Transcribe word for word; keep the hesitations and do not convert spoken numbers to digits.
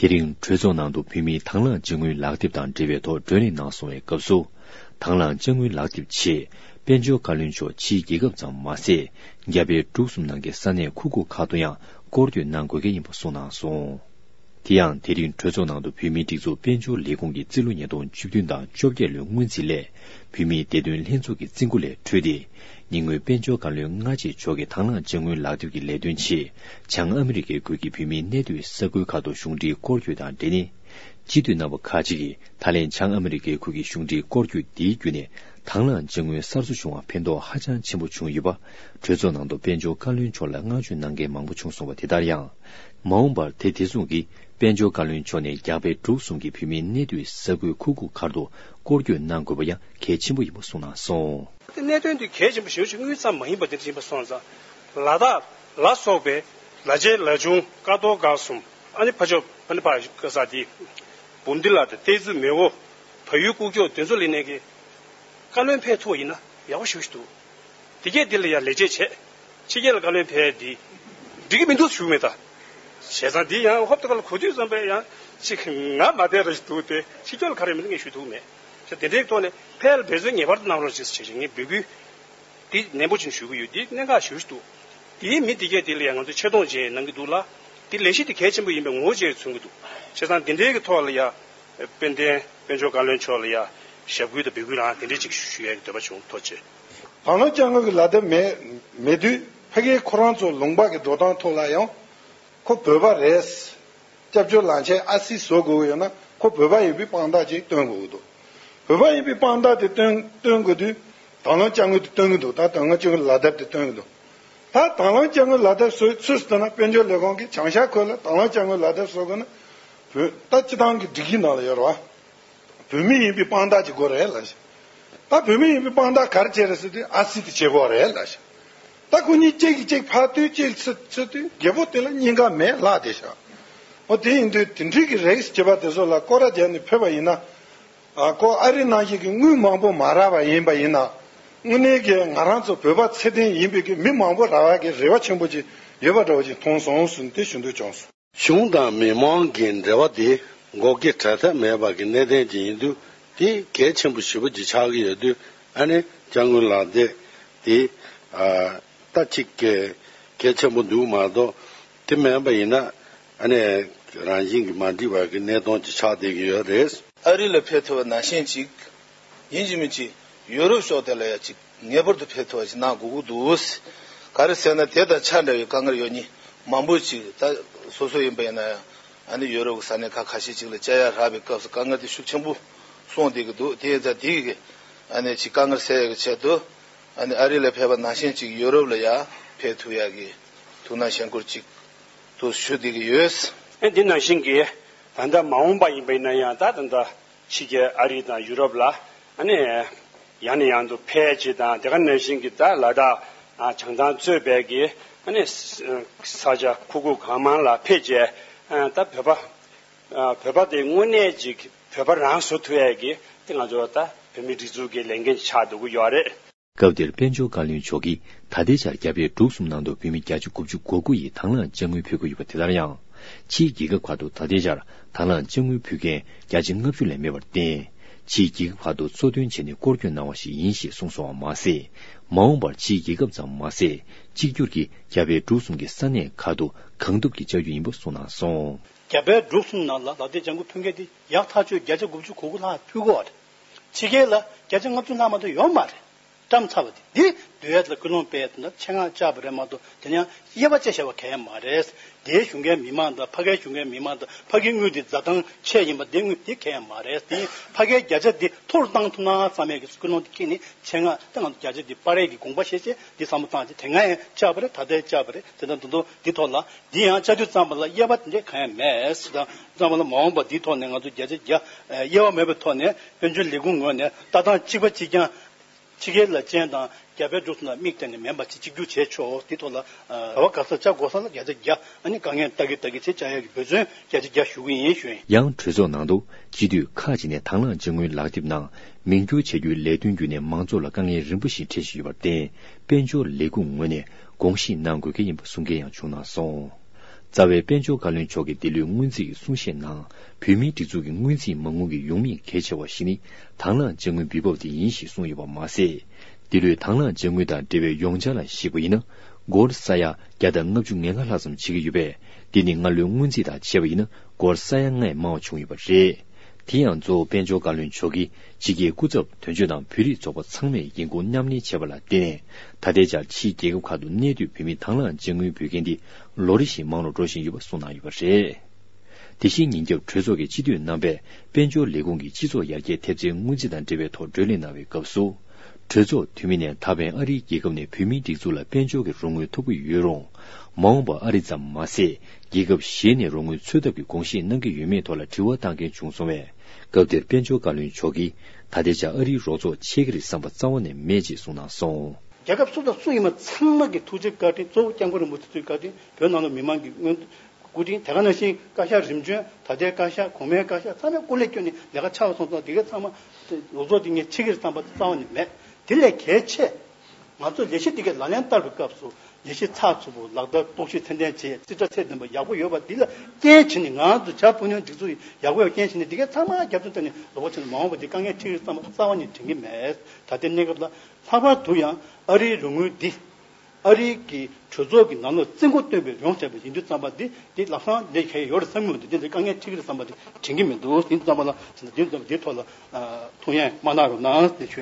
དེ་རིང་གྲོས་ཚོགས་ནང་དུ་བོད་མིའི་དང་བླངས་དཔྱ་དངུལ་ལག་དེབ་དང་འབྲེལ་བའི་ཐོག་བགྲོ་གླེང་གནང་སོང་བའི་སྐབས་སུ། དང་བླངས་དཔྱ་དངུལ་ལག་དེབ་ཆེད་དཔལ་འབྱོར་བཀའ་བློན་མཆོག་ཕྱིའི་རྒྱལ་ཁབ་ཙམ་མ་ཟད། རྒྱ་བལ་འབྲུག་གསུམ་ནང་གི་ས་གནས་ཁུག་ཁུག་ཁག་ཏུ་ཡང་སྐོར་སྐྱོད་གནང་དགོས་གལ་ཡིན་པ་གསུངས་གནང་སོང་། དེ་ཡང་དེ་རིང་གྲོས་ཚོགས་ནང་དུ་བོད་མིའི་སྒྲིག་འཛུགས་དཔལ་འབྱོར་ལས་ཁུངས་ཀྱི་རྩིས་ལོ་ཉིས་སྟོང་བཅུ་བདུན་དང་བཅོ་བརྒྱད་ལོའི་སྔོན་རྩིས་ལས། བོད་མིའི་བདེ་དོན་ལྷན་ཚོགས་ཀྱི་རྩིས་འགོ་ལས་འཕྲོས་ཏེ། ཉེ་སྔོན་དཔལ་འབྱོར་བཀའ་བློན་སྔ་རྗེས་མཆོག་གིས་དང་བླངས་དཔྱ་དངུལ་ལག་དེབ་ཀྱི་ལས་དོན་ཆེད་བྱང་ཨ་མི་རི་ཀའི་ཁུལ་གྱི་བོད་མིའི་གནས་སྡོད་ས་ཁུལ་ཁག་ཏུ་གཞུང་འབྲེལ་སྐོར་སྐྱོད་དང་འབྲེལ་ནས། སྤྱི་འཐུས་རྣམ་པ་ཁག་ཅིག་གིས་ད་ལན་བྱང་ཨ་མི་རི་ཀའི་ཁུལ་གྱི་གཞུང་འབྲེལ་སྐོར་སྐྱོད་འདིའི་བརྒྱུད་ནས་དང་བླངས་དཔྱ་དངུལ་གསར་བཟོ་བྱུང་བར་ཕན་ཐོགས་ཧ་ཅང་ཆེན་པོ་བྱུང་ཡོད་པ། གྲོས་ཚོགས་ནང་དུ་དཔལ་འབྱོར་བཀའ་བློན་མཆོག་ལ་བསྔགས་བརྗོད་གནང་མཁན་མང་པོ་བྱུང་སོང་བ་དེ་ལྟར་ཡང་། མ་འོངས་པར་དེ་དེ་མཚུངས་ཀྱིས་དཔལ་འབྱོར་བཀའ་བློན་མཆོག་ནས་རྒྱ་བལ་འབྲུག་གསུམ་གྱི་བོད་མིའི་གནས་སྡོད་ས་ཁུལ་ཁུག་ཁུག་ཁག་ཏུ་སྐོར་སྐྱོད་གནང་དགོས་པ་ཡང་གལ་ཆེན་པོ་ཡིན་པ་གསུངས་གནང་སོང་། དེ་གནད་དོན་དེ་གལ་ཆེན་པོ་ཞེ་པོ་ཅིག་དངུལ་ཙམ་མ་ཡིན་པ་དེ་འདྲ་ཡིན་པ་སོང་ཙང་། ལ་དྭགས་ལ་སོགས་པའི་ལ་ཆེན་ལ་ཆུང་ཀ་རྡོར་སྒར་གསུམ། ཨ་ནི་ཕ་ཕྱོགས་ཨ་ནི་ཕ་ཀ་ས་དེ་འབུམ་སྡེ་ལ་དང་ཏེ་ཙི་མེ་འོ་བལ་ཡུལ་ཀུག་ཀྱོག་དེ་ཚོ་ལ་ནས་ཀྱི་བཀའ་བློན་ཕེབས་ཐུབ་པ་ཡིན་ན་ཡག་པོ་ཞེ་པོ་ཅིག་འདུག་དེ་གས་འདི་ལ་ཡང་ལས་བྱེད་བྱས། ཕྱི་རྒྱལ་ལ་བཀའ་བློན་ཕེབས་འདི་འགྲིག་གི་མི་འདུག་ཞུ་མེད་ད། བྱས་ཙང་འདི་ཡང་ཧོབ་ཏེ་ཁ་ལ་གོ་དུས་ཙམ་པས་ཡང་ཅིག་ང་མ་བསྡད་ར་ཞིག་འདུག་སྟེ། ཕྱི་རྒྱལ་ལ་ག་རེ་མི་འདུག་ངས་ཞུ་ཐུབ་མེད། བྱས་དེ་འདྲའི་ཐོག་ནས་ཕལ་འབད་བརྩོན་ངེས་པར་དུ་གནང་རོགས་ཞེས་བྱས་ཤིང་ངས་འབོད་སྐུལ་འདི་ནན་པོ་ཅིག་ཞུ་གི་ཡོད། འདི་གནད་འགག་ཞེ་པོ་ཅིག་འདུག་དེའི་མི་འདི་གས་དེ་ལ་ཡང་ང་ཚོས་ཆེ་མཐོང་བཅས་གནང་གི་འདུག་ལ། དེ་ལས་གཞི་དེ་གལ་ཆེན་པོ་ཡིན་པའི་ངོ་བོ་བཅས་མཚོན་གྱི་འདུག་བྱས་ཙང་འདི་འདྲའི་གི་ཐོག་ལ་ཡང་དཔལ་ལྡན་དཔལ་འབྱོར་བཀའ་བློན་མཆོག་ལ་ཡང་ཞབས་སྐུལ་དང་འབོད་སྐུལ་རང་དེ་འདྲའི་ཅིག་ཞུ་ཡས་ཀྱི་འདོད་པ་བྱུང་། ཐུགས་རྗེ་ཆེ། དང་བླངས་དཔྱ་དངུལ་གྱི་ལག་དེབ་མེད་མེད་དུས་ཕ་གིའི་ཁོ་རང་ཚོ་ལུང་པ་གི་འགྲོ་སྟངས་ཐོག་ལ་ཡང་ཁོ་བོད་པ་རེད། སྐྱབས་བཅོལ་ལངས་ཆེད་ཨ་སི་བཟོ་དགོས་ཀྱི་ཡོད་ན་ཁོ་བོད་པ་ཡིན་པའི་དཔང་རྟགས་ཅིག་སྟོན་དགོས་ཀྱི་འདུག་བོད་པ་ཡིན་པའི་དཔང་རྟགས་དེ་སྟོན་སྟོན་དགོས་དུས་དང་བླངས་དཔྱ་དངུལ་དེ་སྟོན་གྱི་འདུག་ད་དང་བླངས་དཔྱ་དངུལ་ལག་དེབ་དེ་སྟོན་གྱི་འདུག་ད་དང་བླངས་དཔྱ་དངུལ་ལག་དེབ་བཟོ་ཚུལ་ཟེར་ན་དཔལ་འབྱོར་ལས་ཁུངས་ཀྱིས་བྱང་ཤར་ཁུལ་ལ་དང་བླངས་དཔྱ་དངུལ་ལག་དེབ་བཟོ་དགོས་ན་བོད་ད་སྤྱི་བཏང་གི་སྒྲིག་གཞི་ནང་ལ་ཡོད་རེད་བ། བོད་མི་ཡིན་པའི་དཔང་རྟགས་ཅིག་དགོས་རེད་ལབ་ཤག་ད་བོད་མི་ཡིན་པའི་དཔང་རྟགས་ག་རེ་བྱས་རེད་ཟེར་དུས་ཨ་སི་དེ་བྱེད་དགོས་རེད་ལབ་ཤག་ད་ཁོ་གཉིས་གཅིག་གིས་གཅིག་ཕར་ལྟོས་གཅིག་ཚུར་ཚུར་ལྟོས། རྒྱལ་པོ་དེ་ལ་སྙིང་ག་མེད་ལགས་དེ་ཤག་འོ་དེ་ཡིན་དུས་དེ་འདྲའི་གི་རིགས་བྱེད་པ་དེ་ཚོ་ལ་སྐོར་ར་བརྒྱབ་ནས་ཕེབས་པ་ཡིན་ན། ཨ་ཁོ་ཨ་རི་ནང་བཞིན་གི་དངུལ་མང་པོ་མ་རག་པ་ཡིན་པ་ཡིན་ན། དངོས་གནས་ཀྱི་ང་རང་ཚོ་བོད་པ་ཚད་ལྡན་ཡིན་པའི་གི་མི་མང་པོ་རག་པ་གི་རེ་བ་ཆེན་པོ་ཅིག་ཡོད་པ་འདྲ་བོ་ཅིག་མཐོང་སོང་ཟེར་ནས་དེ་ཞུ་འདོད་བྱུང་སོང་། གཞུང་དང་མི་མང་གི་འབྲེལ་བ་དེ་འགོག་རྐྱེན་བྲལ་ཐབས་མེད་པ་གི་གནད་དོན་ཅིག་ཡིན་དུས་དེ་གལ་ཆེན་པོ་ཞེ་པོ་ཅིག་ཆགས་ཀྱི་ཡོད་དུས་ཨ་ནི་དཔྱ་དངུལ་ལག་དེབ་དེ་ཨ་ད་ཅིག་གལ་ཆེན་པོ་འདུག་མ་གཏོགས་དེ་མེད་པ་ཡིན་ན་ཨ་ནི་རང་བཞིན་གྱིས་མ་འགྲིག་པ་གི་གནད་དོན་ཅིག་ཆགས་བསྡད་ཀྱི་ཡོད་རེད། ཨ་རི་ལ་ཕེབས་ཐུབ་པ་ནང་བཞིན་ཅིག་ཡིན་གཅིག་མིན་གཅིག་ཡུ་རོབ་ཕྱོགས་དེ་ལ་ཡང་གཅིག་ངེས་པར་དུ་ཕེབས་ཐུབ་པ་ཞིག་གནང་དགོས་ཀྱི་འདུག་ག་རེ་ཟེར་ན་དེ་དང་ཆ་འདྲ་བའི་དཀའ་ངལ་ཡོད་མཁན་མང་པོ་ཅིག་ད་སོ་སོ་ཡིན་པ་ཡིན་ན་ཡང་ཨ་ནི་ཡུ་རོབ་ཀྱི་ས་གནས་ཁག་ཁ་ཤས་ཅིག་ལ་བཅར་ཡ་རག་པའི་སྐབས་སུ་དཀའ་ངལ་དེ་ཤུགས་ཆེན་པོ་སོང་བསྡད་ཀྱི་འདུག་དེ་ཡིན་ཙང་དེ་གི་ཨ་ནི་ཅིག་དཀའ་ངལ་སེལ་ཡ་གི་ཆེད་དུ་ཨ་ནི་ཨ་རི་ལ་ཕེབས་པ་ནང་བཞིན་ཅིག་ཡུ་རོབ་ལ་ཡང་ཕེབས་ཐུབ་ཡ་གི་ཐུགས་སྣང་ཞེན་སྐུལ་ཅིག་ཏུ་ཞུ་བསྡད་ཀྱི་ཡོད། ཨ་འདི་ནང་བཞིན་གྱི་ད་ལྟ་མ་འོངས་པ་ཡིན་པ་ཡིན་ན་ཡང་ད་ད་ལྟ་ཕྱི་རྒྱལ་ཨ་རི་དང་ཡུ་རོབ་ལ་ཨ་ནི་ཡང་ནས་ཡང་དུ་ཕེབས་བྱེད་དང་དེ་ག་ནང་བཞིན་གྱི་ད་ལ་དྭགས་ཨ་བྱང་ཐང་གཙོས་པའི་གི་ཨ་ནི་ས་ས་ཆ་ཁུག་ཁུག་གང་མང་ལ་ཕེབས་བྱས་ཨ་ད་བོད་པ་ཨ་བོད་པ་དེ་དངོས་གནས་ཅིག་བོད་པ་རང་བཟོ་ཐུབ་ཡས་ཀྱི་དེ་ང་ཚོ་ད་བོད་མི་སྒྲིག་འཛུགས་ཀྱི་ལས་འགན་ཆགས་འདུག་གི་ཡོད་རེད། སྐབས་དེར་དཔལ་འབྱོར་བཀའ་བློན་མཆོག་གིས་ད་ལྟའི་ཆར་རྒྱ་བལ་འབྲུག་གསུམ་ནང་དུ་བོད་མི་བརྒྱ་ཆ་དགུ་བཅུ་གོ་དགུ་ཡིས་དང་བླངས་དཔྱ་དངུལ་ཕུལ་གྱི་ཡོད་པ་དེ་ལྟར་ཡང་། ཕྱིའི་རྒྱལ་ཁབ་ཁག་ཏུ་ད་ལྟའི་ཆར་དང་བླངས་དཔྱ་དངུལ་ཕུལ་མཁན་བརྒྱ་ཆ་ལྔ་བཅུ་ལས་མེད་པར་བརྟེན། ཕྱིའི་རྒྱལ་ཁབ་ཁག་ཏུ་གཙོ་དོན་བྱས་ནས་སྐོར་སྐྱོད་གནང་བ་ཞིག་ཡིན་ཞེས་གསུངས་སོང་བ་མ་ཟད། མ་འོངས་པར་ཕྱིའི་རྒྱལ་ཁབ་ཙམ་མ་ཟད། གཅིག་གྱུར་གྱིས་རྒྱ་བལ་འབྲུག་གསུམ་གྱི་ས་གནས་ཁག་ཏུ་གང་ཐུབ་ཀྱིས་བཅའ་རྒྱུ་ཡིན་པ་གསུངས་གནང་སོང་། རྒྱ་བལ་འབྲུག་གསུམ་ནང་ལ་ལག་དེབ་ལྗང་ཁུ་ཕུལ་མཁན་དེ་ཡག་ཐག་ཆོད་བརྒྱ་ཆ་དགུ་བཅུ་གོ་དགུ་ལྷག་ཕུལ་གོ་བ་རེད། ཕྱི་རྒྱལ་ལ་བརྒྱ་ཆ་ལྔ་བཅུ་ལྷག་མ་གཏོགས་ཡོད་མ་རེད། བཀྲམ་ཚར་བ་དེ་འདི་བསྡུ་ཡས་ལ་སྐུལ་སློང་སྤེལ་ཡས་དེ་འདྲ་ཆེད་མངགས་བཅར་བ་རེད་མ་གཏོགས་དེ་ཡང་དབྱེ་བ་དཔྱད་བྱས་པ་གང་ཡང་མ་རེད། དེའི་ཞུ་མཁན་མི་མང་དང་ཕ་གིའི་ཞུ་མཁན་མི་མང་དང་ཕ་གིའི་དངུལ་དེ་འཛའ་ཐང་ཆད་ཡིན་པ་དེ་དངུལ་དེ་གང་ཡང་མ་རེད། དེ་ཕ་གིའི་བརྒྱ་ཆ་དེ་མཐོ་རུ་བཏང་ཐུབ་ན་བསམ་ཡས་ཀྱི་སྐུལ་སློང་དེ་ཁྱེར་ནས་ཆེད་མངགས་ད་ང་ཚོ་བརྒྱ་ཆ་དེ་སྤར་ཡས་ཀྱི་དགོངས་པ་བཞེས་བྱས་དེ་བསམ་བློ་བཏང་བྱས་དེ་སྔ་ཡང་བཅར་བ་རེད། ད་ལྟ་ཡང་བཅར་བ་རེད། དེ་འདྲ་འདུག་འདུག་དེ་ཐོག་ལ། འདི་ཡང་བཅའ་དུས་ཙམ་པ་ལ་དབྱེ་བ་དེ་འདྲས་གང་ཡང་མེད་ཟེར་དང་ཙམ་པ་ལ་མ་འོངས་པ་འདིའི་ཐོག་ནས་ང་ཚོ་བརྒྱ་ཆ་བརྒྱ་དབྱེ་བ་མེད་པའི་ཐོག་ནས་དཔལ་འབྱོར་ལས་ཁུངས་ངོས་ནས་ལྟ་སྟངས་གཅིག་པ་གཅིག་རྐྱང་ཕྱི་རྒྱལ་ལ་ཅན་དང་རྒྱ་བལ་འབྲུག་གསུམ་ལ་དམིགས་གཏད་ནས་མིན་པ་ཅིག་གཅིག་གྱུར་བྱས་ཆོག་དེ་ཐོག་ལ་ག་བ་ག་ས་བཅའ་དགོས་ས་ལ་བརྒྱ་ཆ་བརྒྱ་ཨ་ནི་དཀའ་ངལ་ལྟ་གི་ལྟ་གི་བྱས་བཅའ་ཡག་གི་འབད་བརྩོན་བརྒྱ་ཆ་བརྒྱ་ཞུ་གི་ཡིན་ཞུ་ཡིན། ཡང་གྲོས་ཚོགས་ནང་དུ་སྤྱི་འཐུས་ཁག་ཅིག་ནས་དང་བླངས་དཔྱ་དངུལ་ལག་དེབ་ནང་མིང་བསྒྱུར་བྱ་རྒྱུའི་ལས་དོན་བརྒྱུད་ནས་མང་ཚོགས་ལ་དཀའ་ངལ་རིམ་པ་ཞིག་འཕྲད་བཞིན་ཡོད་པར་བརྟེན། དཔལ་འབྱོར་ལས་ཁུངས་ངོས་ནས་དགོངས་བཞེས་གནང་དགོས་གལ་ཡིན་པ་གསུང་མཁན་ཡང་བྱུང་གནང་སོང་། རྩ་བའི་དཔལ་འབྱོར་བཀའ་བློན་མཆོག་གིས་འདི་ལོའི་སྔོན་རྩིས་ཀྱི་གསུང་བཤད་ནང་། བོད་མིའི་སྒྲིག་འཛུགས་ཀྱི་སྔོན་རྩིས་མ་དངུལ་གྱི་ཡོང་མེད་གལ་ཆེ་བ་ཞིག་ནི། དང་བླངས་དཔྱ་དངུལ་འབུལ་འབབ་དེ་ཡིན་ཞེས་གསུངས་ཡོད་པ་མ་ཟད། འདི་ལོའི་དང་བླངས་དཔྱ་དངུལ་དང་འབྲེལ་བའི་ཡོངས་འཆར་ལ་གཞིགས་པ་ཡིན་ན། སྒོར་ས་ཡ་བརྒྱ་དང་ལྔ་བཅུ་ང་ལྔ་ལྷག་ཙམ་བྱེད་ཀྱི་ཡོད་པས། འདི་ནི་སྔ་ལོའི་སྔོན་རྩིས་དང་བྱས་པ་ཡིན་ན། སྒོར་ས་ཡ་ལྔ་ཡས་མང་བ་བྱུང་ཡོད་པ་རེད། དེ་ཡང་། གཙོ་བོ་དཔལ་འབྱོར་བཀའ་བློན་མཆོག་གིས། ཕྱི་རྒྱལ་སྐུ་ཚབ་དོན་གཅོད་དང་། བོད་རིགས་ཚོགས་པ་ཚང་མས་ཡིན་གོང་མཉམ་ལེན་བྱས་པ་ལ་བརྟེན་ནས། ད་ལྟའི་ཆར་ཕྱིའི་རྒྱལ་ཁབ་ཁག་ཏུ་གནས་སྡོད་བོད་མིའི་དང་བླངས་དཔྱ་དངུལ་འབུལ་མཁན་འདི། ལོ་རེ་བཞིན་མང་རུ་འགྲོ་བཞིན་ཡོད་པ་གསུངས་གནང་ཡོད་པ་རེད། དེ་བཞིན། ཉིན་རྒྱབ་གྲོས་ཚོགས་ཀྱི་སྤྱི་འཐུས་རྣམ་པས། དཔལ་འབྱོར་ལས་ཁུངས་ཀྱི་སྤྱི་ཚོགས་ཡར་རྒྱས་ཐེབས་རྩའི་སྔོན་རྩིས་དང་འབྲེལ་བའི་ཐོག་བགྲོ་གླེང་གནང་བའི་སྐབས་སུ། གྲོས་ཚོགས་འཐུས་མི་ནས། ད་ཕན་ཨ་རིའི་རྒྱལ་ཁབ་ནས་བོད་མིའི་སྒྲིག་འཛུགས་ལ་དཔལ་འབྱོར་གྱི་རོགས་དངུལ་ཐོབ་ཀྱི་ཡོད་རུང་། མ་འོངས་པར་ཨ་རི་ཙམ་མ་ཟད། རྒྱལ་ཁབ་གཞན་ནས་རོགས་དངུལ་འཚོལ་ཐབས་ཀྱི་དགོངས་བཞེས་གནང་གི་ཡོད་མེད་ཐོག་ལ་དྲི་བ་བཏང་མཁན་བྱུང་སོང་བས། སྐབས་དེར་དཔལ་འབྱོར་བཀའ་བློན་མཆོག་གིས། ད་ལྟའི་ཆར་ཨ་རིའི་རོགས་ཚོགས་ཆད་ཀྱི་རེད་བསམ་པ་རྩ་བ་ནས་མེད་ཅེས་གསུངས་གནང་སོང་། རྒྱལ་ཁབ་སུ་དང་སུ་ཡིན་པ་ཚང་མ་གི་ཐུགས་རྗེ་བཀའ་དྲིན། གཙོ་བོ་སྐྱབས་མགོན་རིན་པོ་ཆེ་མཆོག་གི་བཀའ་དྲིན། བོད་ནང་ལ་མི་མང་གི་སྐུ་དྲིན། དེ་ག་ནང་བཞིན་བཀའ་ཤག་རིམ་བྱོན། ད་ལྟའི་བཀའ་ཤག་གོང་མའི་བཀའ་ཤག་ཚང་མས་སྐུ་ལས་བསྐྱོན་ནས་ལས་ཀ་ཆགས་པ་སོང་ཙང་། དེ་ག་ཚང་མ་རོགས་ཚོགས་དེ་ངས་ཆད་ཀྱི་རེད་བསམ་པ་རྩ་བ་ནས་མེད། དེ་ལས་གལ་ཆེ། ང་ཚོས་ལས་གཞི་འདི་གའི་ལག་ལེན་བསྟར་བའི་སྐབས་སུ། ལས་གཞི་ཚགས་ཚུད་པོ། ལག་བསྟར་སྟོབས་ཤུགས་ཚད་ལྡན་བྱས། རྩིས་ཁྲ་ཚད་ལྡན་པ་ཡག་པོ་ཡོད་པ་འདི་ལ་རྐྱེན་བྱས་ནས། ང་ཚོ་བྱ་བུ་ནོན་སྒྲིག་འཛུགས་ཡག་པོ་ཡོད་རྐྱེན་བྱས་ནས། འདི་གའི་ཚང་མ་རྒྱབ་སྐྱོར་བཏང་ནས་ལོ་འཁོར་ཕྱིན་ནས་མ་འོངས་པ་འདི་དཀའ་ངལ་འཕྲད་ཀྱི་རེད་བསམ་པ་རྩ་བ་ནས་དྲན་གྱི་མེད། ད་ལྟའི་གནས་སྐབས་ལ་ལྷག་པར་དུ་ཡང་ཨ་རིའི་རོགས་དངུལ་འདི། ཨ་རིའི་གི་གྲོས་ཚོགས་ཀྱི་ནང་ལོགས་བཙན་སྐུལ་བཏོན་པའི་ཡོང་བྱས་པ་ཡིན་དུས་ཙམ་པ་འདི། འདི་ལམ་སང་ལས་ཀ་ཡོད་རེད་བསམ་གྱི་མི་འདུག་འདི་འདི་དཀའ་ངལ་འཕྲད་ཀྱི་རེད་བསམ་པ་འདི་དྲན་གྱི་མི་འདུག་དེ་ཙམ་པ་ལ། དེ་ཙམ་པ་འདིའི་ཐོག་ལ་ཐུགས་ཡངས་མ་གནང་རོགས་གནང་ཞེས་ཞུ།